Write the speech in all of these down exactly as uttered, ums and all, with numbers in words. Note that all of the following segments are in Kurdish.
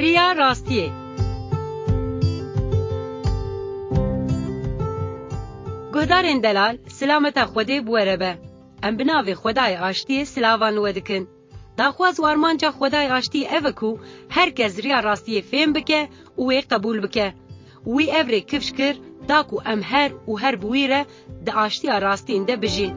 Riya rastiyê. Guhdarên delal, silameta Xwedê bi we re be. Em bi navê Xwedayê Aştiyê silavan li we dikin. Daxwaz û armanca Xwedayê Aştiyê ev e ku her kes riya rastiyê fêm bike û wê qebûl bike. Wî ev rê kifş kir, da ku em her û her bi wî re di aştiya rastîn de bijîn.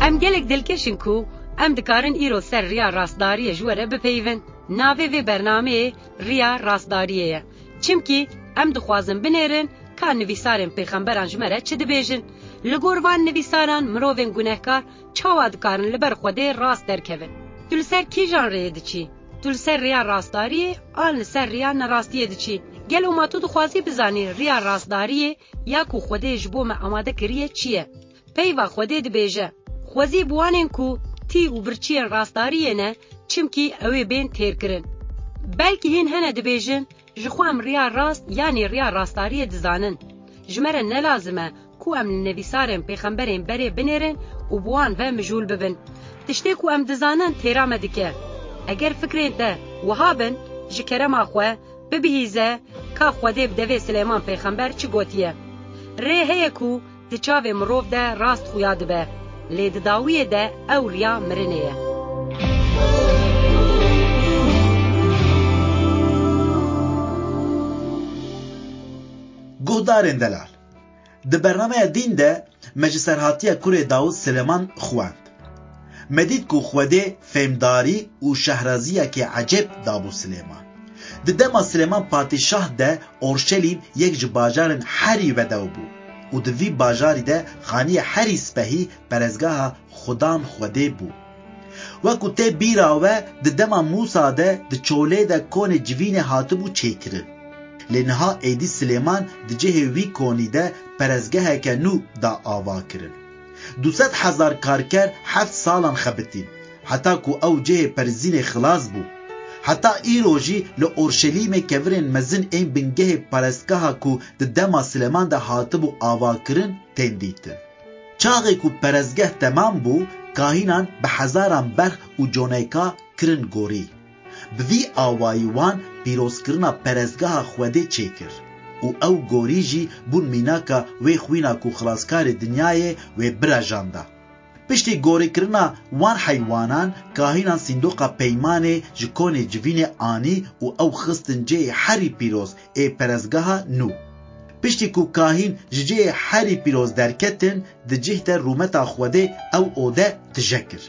Em gelek dilkeş in ku em dikarin îro ser riya rastdariyê ji we re bipeyivin. Navê vê bernameyê Riya Rastdariyê ye. Çimkî em dixwazin binêrin ka nivîsarên pêxemberan ji me re çi dibêjin. Li gor van nivîsaran mirovên gunehkar çawa dikarin li ber Xwedê rast derkevin? Tu li ser kîjan rêyê diçî? Tu li ser rêya rastdariyê an li ser rêya nerastiyê diçî? Gelo ma tu dixwazî bizanî rêya rastdariyê ya ku Xwedê ji bo me amade kiriye çi ye? Peyva Xwedê dibêje, Xwezî bi wanên ku tî û birçiyên rastdariyê ne, çimkî ew ê bên têrkirin. Belkî hîn hene dibêjin, Ji xwe em riya rast yanî riya rastdariyê dizanin. Ji me re ne lazim e ku em li nivîsarên pêxemberên berê binêrin û bi wan ve mijûl bibin. Tiştê ku em dizanin têra me dike. Eger fikrên te wiha bin, ji kerema xwe bibihîze ka Xwedê bi devê Silêman pêxember çi gotiye. Rê heye ku di çavê mirov de rast xuya dibe, lê di dawiyê de ew riya mirinê ye. Guhdarên delal, di bernameya dîn de me ji serhatiya kurê Dawid Silêman xwend. Me dît ku Xwedê fêmdarî û şehraziyekê ecêb dabû Silêman. Di dema Silêman Padîşah de Orşelîm yek ji bajarên herî vedew bû û di vî bajarî de xaniyê herî spehî perezgeha Xudan Xwedê bû. Wekî tê bîra we, di dema Mûsa de di çolê de konê civînê hatibû çêkirin. Lê niha êdî Silêman di cihê wî konî de perezgeheke nû da ava kirin. Du sed hezar karker heft salan xebitîn, heta ku ew cihê perizînê xilas bû. Heta îro jî li Orşelîmê kevirên mezin ên bingehê perestgeha ku di dema Silêman de hatibû avakirin tên dîtin. Çaxê ku perestgeh temam bû, kahînan bi hezaran berx û coneka kirin gorî. Bi vî awayî wan pîrozkirina perestgeha Xwedê çêkir û ew gorî jî bûn mînaka wê xwîna ku Xilaskarê dinyayê wê birejanda. Piştî gorîkirina wan heywanan, kahînan sîndoqa peymanê ji konê civînê anî û ew xistin cihê herî pîroz ê perestgeha nû. Piştî ku kahîn ji cihê herî pîroz derketin, di cih de rûmeta Xwedê ew ode tije kir.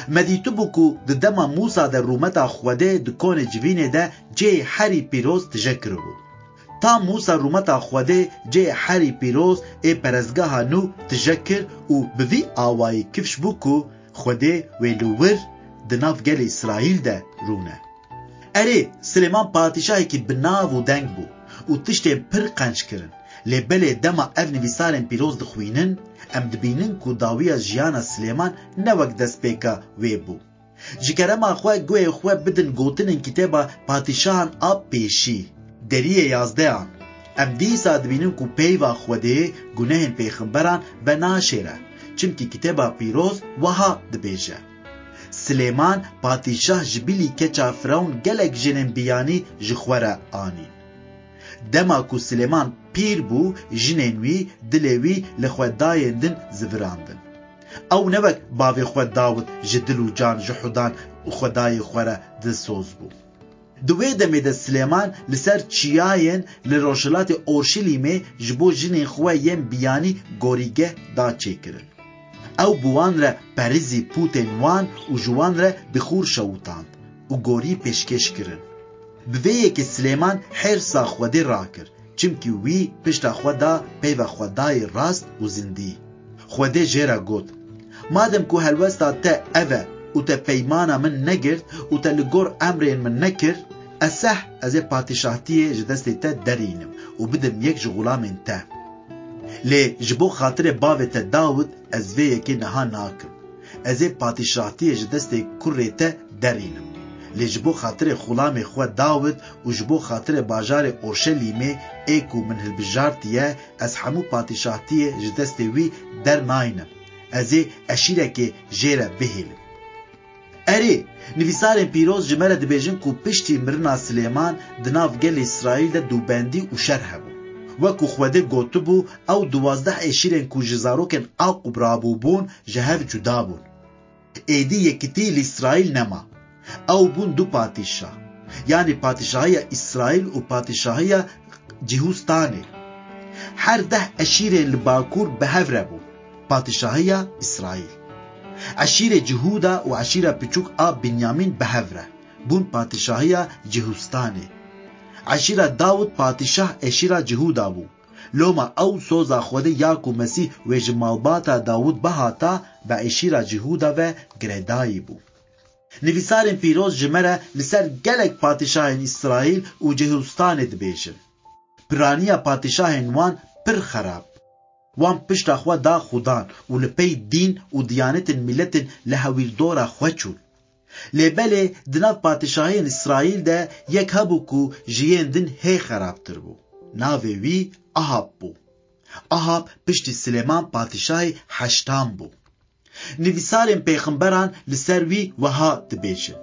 Me dîtibû ku di dema Mûsa de rûmeta Xwedê di konê civînê de cihê herî pîroz tije kiribû. Ta Mûsa rûmeta Xwedê cihê herî pîroz ê perestgeha nû tije kir û bi vî awayî kifş bû ku Xwedê wê li wir di nav gelê Îsraîl de rûne. Erê, Silêman padîşahekî bi nav û deng bû û tiştên pir qenc kirin. Lê belê dema ev nivîsarên pîroz dixwînin, em dibînin ku dawiya jiyana Silêman ne wek destpêka wê bû. Ji kerema xwe guhê xwe bidin gotinên kitêba Padîşahan a pêşî, deriyê yazdehan. Em dîsa dibînin ku peyva Xwedê gunehên pêxemberan venaşêre, çimkî kitêba pîroz wiha dibêje, Silêman padîşah ji bilî keça Firewn gelek jinên biyanî ji xwe re anîn. Dema ku Silêman pîr bû, jinên wî dilê wî li xwedayên din zivirandin. Ew ne wek bavê xwe Dawid ji dil û can ji Hudan û xwedayê xwe re dilsoz bû. Di wê demê de Silêman li ser çiyayên li rojhilatê Orşelîmê ji bo jinên xwe yên biyanî gorîgeh da çêkirin. Ew bi wan re perizî pûtên wan û ji wan re bixûr şewitand û gorî pêşkêş kirin. Bi vê yekê Silêman hêrsa Xwedê rakir, çimkî wî pişta xwe da peyva Xwedayê rast û zindî. Xwedê jê re got, Madem ku helwesta te ev e û te peymana min negirt û te li gor emrên min nekir, ez seh ez ê padîşahtiyê ji destê te derînim û bidim yek ji xulamên te. Lê ji bo xatirê bavê te Dawid ez vê yekê niha nakim. Ez ê padîşahtiyê ji destê kurê te derînim. Lê ji bo xatirê xulamê xwe Dawid û ji bo xatirê bajarê Orşelîmê ê ku min hilbijartiye, ez hemû padîşahtiyê ji destê wî dernaynim. Ez ê eşîrekê jê re bihêlim. Erê, nivîsarên pîroz ji me re dibêjin ku piştî mirina Silêman di nav gelê Îsraîl de dûbendî û şer hebû. Wekû Xwedê gotibû, ew duwazdeh eşîrên ku ji zarokên Aqûb rabûbûn, ji hev cuda bûn. Êdî yekitî li Îsraîl nema. Ew bûn du patîşah, yanî patîşahiya Îsraîl û patîşahiya Cihûstanê. Her deh eşîrên li bakur bi hev re bûn, patîşahiya Îsraîl. Eşîrê Cihûda û eşîra piçûk a Binyamîn bi hev re bûn patîşahiya Cihûstanê. Eşîra Dawid patîşah eşîra Cihûda bû. Loma ew soza Xwedê ya ku Mesîh wê ji malbata Dawid bihata, bi eşîra Cihûda ve girêdayî bû. Nivîsarên pîroz ji me re li ser gelek padîşahên Îsraîl û Cihûstanê dibêjin. Piraniya padîşahên wan pir xerab. Wan pişta xwe da xudan û li pey dîn û diyanetên miletên li hewîrdora xwe çûn. Lê belê di nav padîşahiyên Îsraîl de yek hebû ku ji yên din hê xerabtir bû. Navê wî Ahab bû. Ahab piştî Silêman padîşahê heştan bû. Nivîsarên pêxemberan li ser wî wiha dibêjin: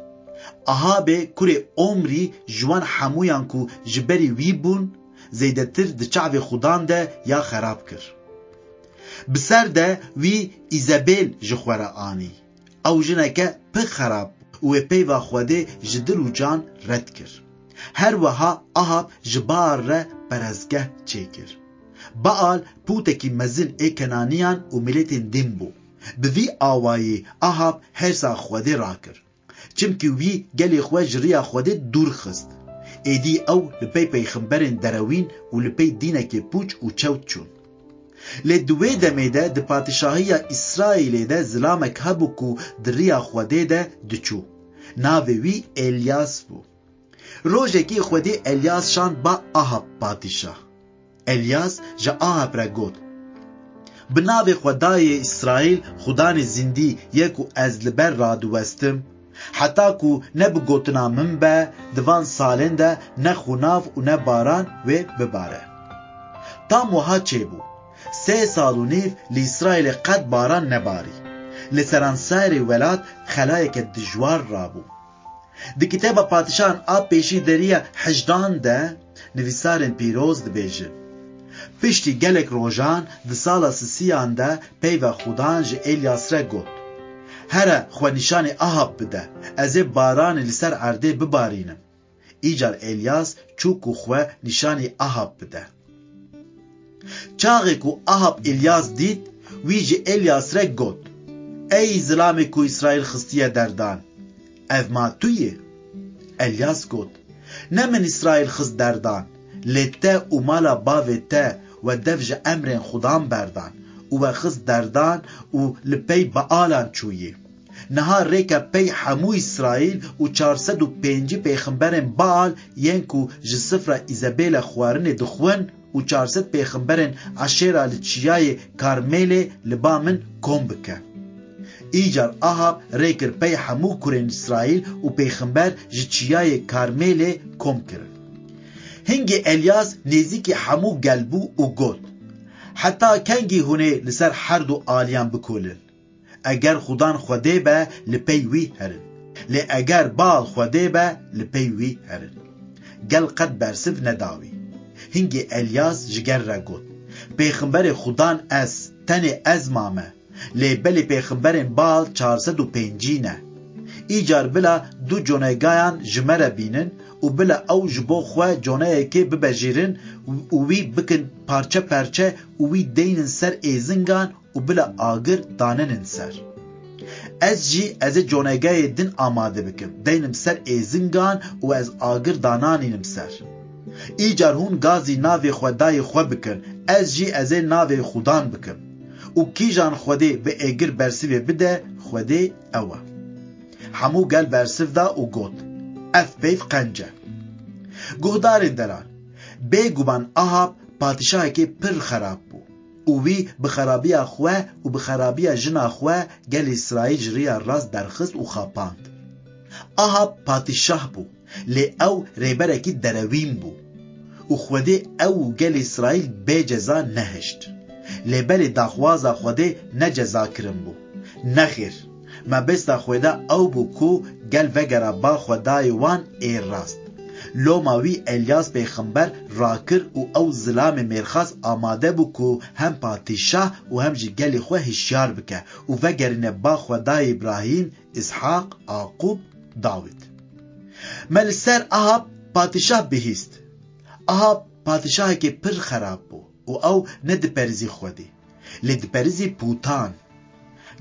Ahabê kurê Omrî ji wan hemûyan ku ji berî wî bûn, zêdetir di çavê xudan de ya xerab kir. Bi ser de wî Îzebêl ji xwe re anî. Ew jineke pir xerab bû û wê peyva Xwedê ji dil û can red kir. Her wiha Ahab ji Baal re perestgeh çêkir. Baal pûtekî mezin ê Kenaniyan û miletên din bû. Bi vî awayî Ahab hêrsa Xwedê rakir. Çimkî wî gelê xwe ji riya Xwedê dûr xist. Êdî ew li pey peyxemberên derewîn û li pey dînekê pûç û çewt çûn. Lê di wê demê de di padîşahiya Îsraîlê de zilamek hebû ku di riya Xwedê de diçû. Navê wî Elyas bû. Rojekî Xwedê Elyas şand ba Ahab padîşah. Elyas ji Ahab re got: Bi navê Xwedayê Îsraîl, Xudanê zindî yê ku ez li ber radiwestim, heta ku ne bi gotina min be, di van salên de ne xunav û ne baran wê bibare. Tam wiha çêbû. Sê sal û nîv li Îsraîlê qet baran nebarî. Li seranserê welat xelayeke dijwar rabû. Di kitêba Padîşahan a Pêşî deriya hejdan de nivîsarên pîroz dibêjin: Piştî gelek rojan di sala sisiyan de peyva Xudan ji Elyas re got: Here xwe nîşanî Ahab bide, ez ê baranê li ser erdê bibarînim. Îcar Elyas çû ku xwe nîşanî Ahab bide. Çaxê ku Ahab Elyas dît, wî ji Elyas re got: Ey zilamê ku Îsraîl xistiye derdan, ev ma tu yî? Elyas got: Ne min Îsraîl xist derdan, lê te û mala bavê te we dev ji emrên Xudan berdan û we xist derdan û li pey Baalan çûyî. Niha rêke pey hemû Îsraîl û çar sed û pêncî pêxemberên Baal yên ku ji sifra Îzebêle xwarinê dixwin û çar sed pêxemberên Eşêra li çiyayê Karmêlê li ba min kom bike. Îcar Ahab rê kir pey hemû kurên Îsraîl û pêxember ji çiyayê Karmêlê kom kirin. Hingê Elyas nêzîkî hemû gel bû û got: Heta kengî hûn ê li ser her du aliyan bikolin? Eger Xudan Xwedê be, li pey wî herin. Lê eger Baal Xwedê be, li pey wî herin. Gel qet bersiv neda wî. Hingê Elyas ji gel re got: Pêxemberê Xudan ez, tenê ez mame. Lê belê pêxemberên Baal çar sed û pêncî ne. Îcar bila du conegayan ji me re bînin û bila ew ji bo xwe coneyekê bibejêrin û wî bikin parçe parçe û wî deynin ser êzingan û bila agir daninin ser. Ez jî ez ê conegayê din amade bikim, deynim ser êzingan û ez agir dananînim ser. Îcar hûn gazî navê Xwedayê xwe bikin, ez jî ez ê navê Xudan bikim. Û kîjan Xwedê bi êgir bersivê bide, Xwedê ew e. Hemû gel bersiv da û got: Ev peyv qenc e. Guhdarên deran, bêguman Ahab padîşahekê pir xerab bû. Û wî bi xerabiya xwe û bi xerabiya jina xwe gelê Îsraîl ji riya rast derxist û xapand. Ahab padîşah bû, lê ew rêberekî derewîn bû. Û Xwedê ew û gelê Îsraîl bê ceza nehişt. Lê belê daxwaza Xwedê ne ceza kirin bû. Nexêr, Mebesta Xweda ew bû ku gel vegera ba Xwedayê wan ê rast. Loma wî Elyas pêxember rakir û ew zilamê mêrxas amade bû ku hem patîşah û hem jî gelê xwe hişyar bike û vegerîne ba Xwedayê Îbrahîm, Îshaq, Aqûb, Dawid. Me li ser Ahab patîşah bihîst. Ahab patîşahekî pir xerab bû û ew nediperizî Xwedê, lê diperizî pûtan.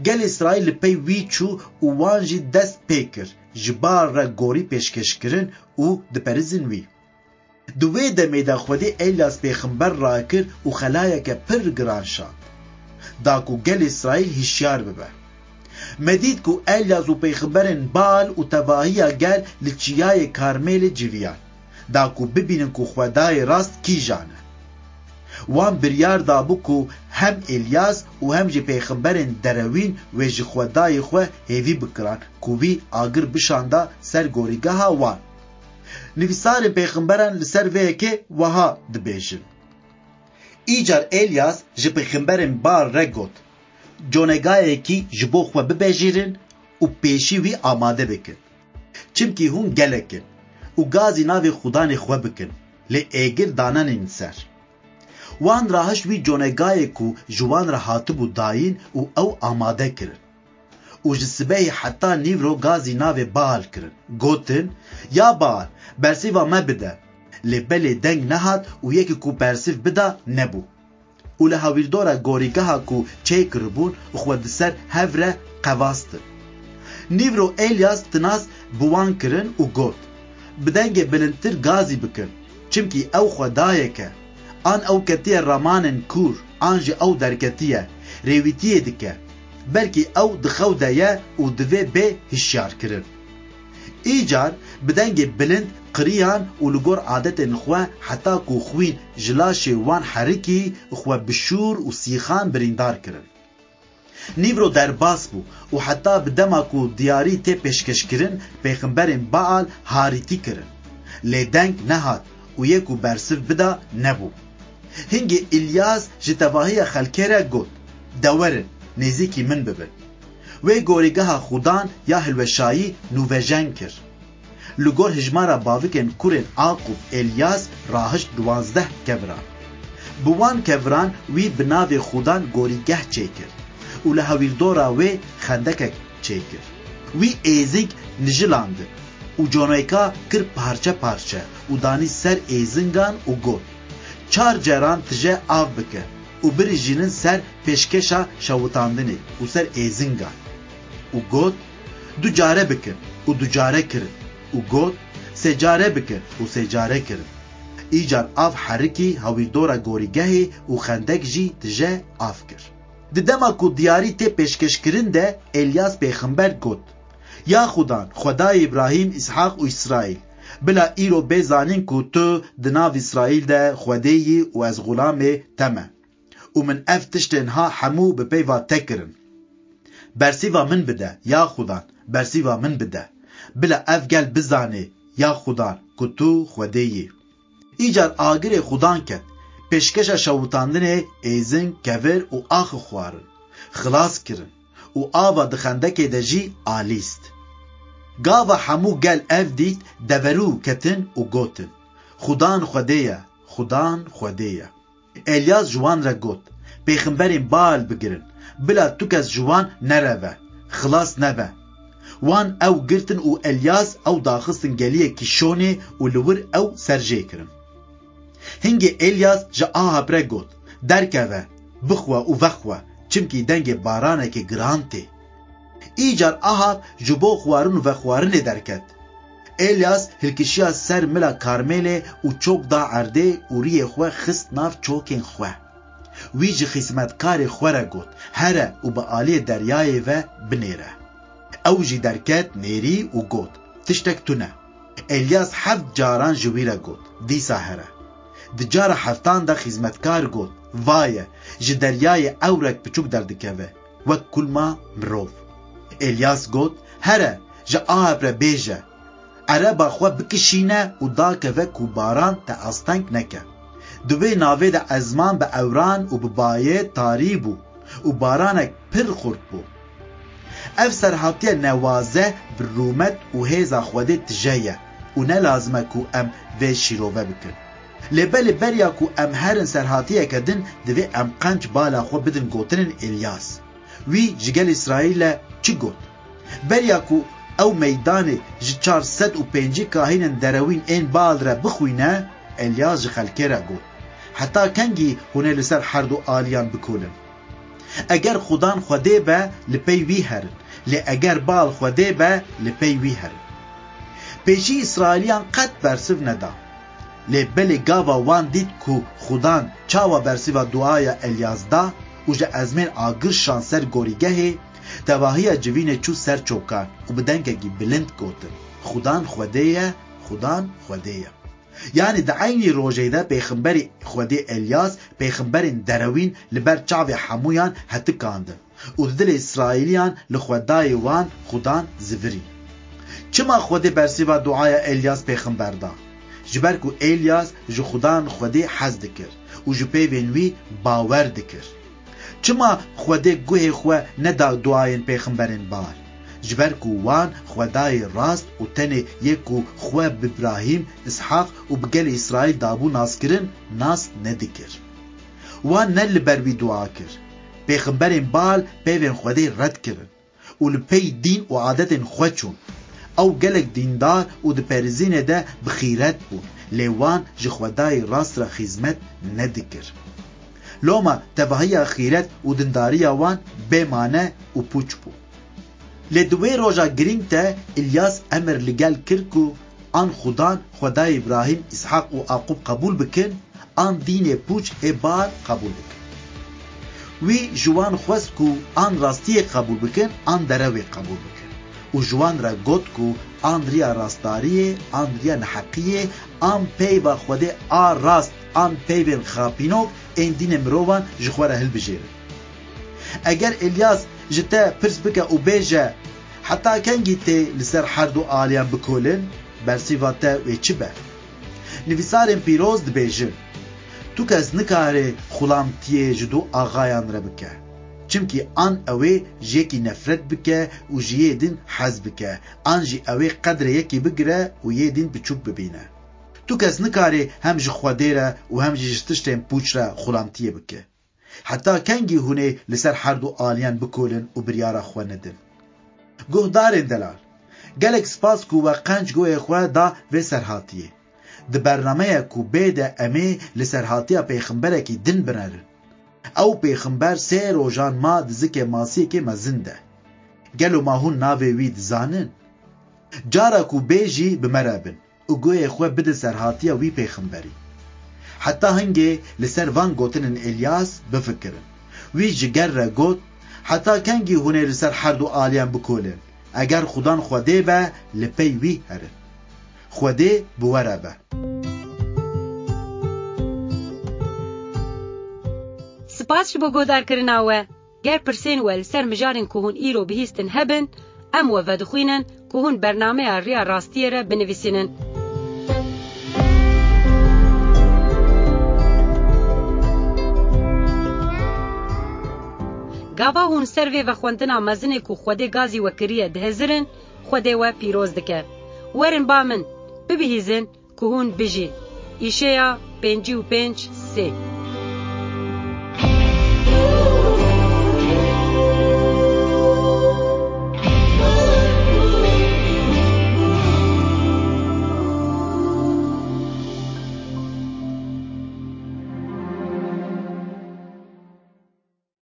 Gel Îsraîl li pey wî çû û wan jî dest pê kir, ji ba re gorî pêşkêş kirin û diperizin wî. Di wê demê de Xwedê Elyas pêxember rakir û xelayeke pir giran şand, da ku gel Îsraîl hişyar bibe. Me dît ku Elyas û pêxemberên Baal û tevahiya gel li çiyayê Karmêlê civiyan, da ku bibînin ku Xwedayê rast kîjan e. Wan biryar dabû ku hem Elyas û hem jî pêxemberên derewîn wê ji Xwedayê xwe hêvî bikiran ku wî agir bişanda ser gorîgeha wan. Nivîsarên pêxemberan li ser vê yekê wiha dibêjin: Îcar Elyas ji pêxemberên Baal re got, Conegayekî ji bo xwe bibejêrin û pêşî wî amade bikin. Çimkî hûn gelek in û gazî navê xudanê xwe bikin, lê êgir danenên ser. Wan rahişt wî conegayê ku ji wan re hatibû dayîn û ew amade kirin. Û ji sibehê heta nîvro gazî navê Baal kirin. Gotin, Ya Baal, bersîva me bide. Lê belê deng nehat û yekî ku bersîv bida nebû. Û li hawîrdora gorîgeha ku çêkiribûn xwe di ser hev re qevastin. Nîvro Elyas tinas bi wan kirin û got, Bi dengê bilindtir gazî bikin, çimkî ew xwedayek e. An ew ketiye ramanên kûr, an jî ew derketiye, rêwîtiyê dike. Belkî ew di xew de ye û divê bê hişyarkirin. Îcar bi dengê bilind qiriyan û li gor adetên xwe heta ku xwîn ji laşê wan herikî, xwe bi şûr û sîxan birîndar kirin. Nîvro derbas bû û heta bi dema ku diyarî tê pêşkêşkirin, pêxemberên Baal harîtî kirin. Lê deng nehat û yê ku bersiv bida nebû. Hingê Îlyas ji tevahiya xelkê re got, De werin, nêzîkî min bibin. Wê gorîgeha xudan ya hilweşayî nûvejen kir. Li gor hijmara bavikên kurên Aqûb Elyas rahişt duwazdeh keviran. Bi wan keviran wî bi navê xudan gorîgeh çêkir û li hewîrdora wê xendekek çêkir. Wî êzing nijilandin û coneka kir parçe parçe û danî ser êzingan û got, Çar caran tije av bike û birijînin ser pêşkeşa şewitandinê û ser êzingan. Û got, Du care bikin û du care kirin. Û got, Sê care bikin û sê care kirin. Îcar av herikî hewîrdora gorîgehê û xendek jî tije av kir. Di dema ku diyarî tê pêşkêşkirin de Elyas pêxember got, Ya xudan, Xwedayê Îbrahîm, Îshaq û Îsraîl, bila îro bê zanîn ku tu di nav Îsraîl de Xwedê yî û ez xulamê te me. Û min ev tiştên ha hemû bi peyva te kirin. Bersîva min bide, ya xudan, bersîva min bide. Bila ev gel bizane, ya xudan, ku tu Xwedê yî. Îcar agirê xudan ket, pêşkeşa şewitandinê êzing, kevir û axi xwarin. Xilas kirin û ava di xendekê de jî alîst. Gava hemû gel ev dît, deverû ketin û gotin, Xudan Xwedê ye, xudan Xwedê ye. Elyas ji wan re got, Pêxemberên Baal bigirin, bila tu kes ji wan nereve, xilas nebe. Wan ew girtin û Elyas ew daxistin geliyê Kîşonê û li wir ew serjê kirin. Hingê Elyas ji Ahab re got, Derkeve, bixwe û vexwe, çimkî dengê baranekê giran tê. Îcar Ahab ji bo xwarin û vexwarinê derket. Elyas hilkişiya ser mila Karmêlê û çok da erdê û riyê xwe xist nav çokên xwe. Wî ji xîzmetkarê xwe re got, Here û bi aliyê deryayê ve binêre. Ew jî derket nêrî û got, Tiştek tune. Elyas heft caran ji wî re got, Dîsa here. Di cara heftan de xîzmetkar got, Vaye, ji deryayê ewrek piçûk derdikeve, wek kulma mirov. Elyas got, Here, ji Ahab re bêje, Ereba xwe bikişîne û dakeve ku baran te asteng neke. Di wê navê de ezman bi ewran û bi bayê tarî bû û baranek pir xurt bû. Ev serhatiye newaze bi rûmet û hêza Xwedê tije ye û ne lazim e ku em vê şîrove bikin. Lê belê beriya ku em herin serhatiyeke din, divê em qenc bala xwe bidin gotinên Elyas. Wî ji gel Îsraîlê çi got? Beriya ku ew meydanê ji çar sed û pêncî kahînên derewîn ên Baal re bixwîne, Elyas ji xelkê re got, Heta kengî hûn ê li ser her du aliyan bikolin? Eger Xudan Xwedê be, li pey wî herin, lê eger Baal Xwedê be, li pey wî herin. Pêşî Îsraîliyan qet bersiv neda. Lê belê gava wan dît ku Xudan çawa bersiva duaya Elyas da û ji ezmên agir şan ser gorîgehê, tevahiya civînê çû ser çokan û bi dengekî bilind gotin, Xudan Xwedê ye, Xudan Xwedê ye. Yanî di eynî rojê de pêxemberê Xwedê Elyas pêxemberên derewîn li ber çavê hemûyan hetikandin û di dilê Îsraîliyan li Xwedayê wan Xudan zivirî. Çima Xwedê bersiva duaya Elyas pêxember da? Ji ber ku Elyas ji Xudan Xwedê hez dikir û ji peyvên wî bawer dikir. Çima Xwedê guhê xwe neda duayên pêxemberên Baal? Ji ber ku wan Xwedayê rast û tenê yê ku xwe bi Îbrahîm, Îshaq û bi gelê Îsraîl dabû naskirin, nas nedikir. Wan ne li ber wî dua kir. Pêxemberên Baal peyvên Xwedê red kirin û li pey dîn û adetên xwe çûn. Ew gelek dîndar û di perîzînê de bi xîret bûn, lê wan ji Xwedayê rast re xîzmet nedikir. Loma tevahiya xîret û dindariya wan bê mane û pûç bû. Lê di wê roja girîng de Îlyas emir li gel kir ku an Xudan, Xwedayê Îbrahîm, Îshaq û Aqûb qebûl bikin, an dînê pûç ê Baal qebûl bikin. Wî ji wan xwest ku an rastiyê qebûl bikin, an derewê qebûl bikin. Û ji wan re got ku an riya rastdariyê, an riya neheqiyê, an peyva Xwedê a rast, an peyvên xapînok ên dînê mirovan ji xwe re hilbijêrin. Eger Îlyas ji te pirs bike û bêje, Heta kengî tê li ser her du aliyan bikolin? Bersîva te wê çi be? Nivîsarên pîroz dibêjin, Tu kes nikare xulamtiyê ji du axayan re bike. Çimkî an ew ê ji yekî nefret bike û ji yê din hez bike, an jî ew ê qedrê yekî bigire û yê din biçûk bibîne. Tu kes nikare hem ji Xwedê re û hem jî ji tiştên pûç re xulamtiyê bike. Heta kengî hûn ê li ser her du aliyan bikolin û biryara xwe nedin? Guhdarên delal, gelek spas ku we qenc guhê xwe da vê serhatiyê. Di bernameya ku bê de em ê li serhatiya pêxemberekî din binerin. Ew pêxember sê rojan ma di zikê masiyekê mezin de. Gelo ma hûn navê wî dizanin? Cara ku bê jî bi me re bin û guhê xwe bidin serhatiya wî pêxemberî. Heta hingê li ser van gotinên Elyas bifikirin. Wî ji gel re got, Heta kengî hûn ê li ser her du aliyan bikolin? Eger Xudan Xwedê be, li pey wî herin. Xwedê bi we re be. Spas ji bo guhdarkirina we. Ger pirsên we li ser mijarên ku hûn îro bihîstin hebin, em we vedixwînin ku hûn bernameya Riya Rastiyê re binivîsînin. Gava hûn ser vê vexwendina mezinê ku Xwedê gazî we kiriye dihizirin, Xwedê we pîroz dike. Werin ba min, bibihîzin ku hûn bijîn. Îşeya pêncî û pênc sê.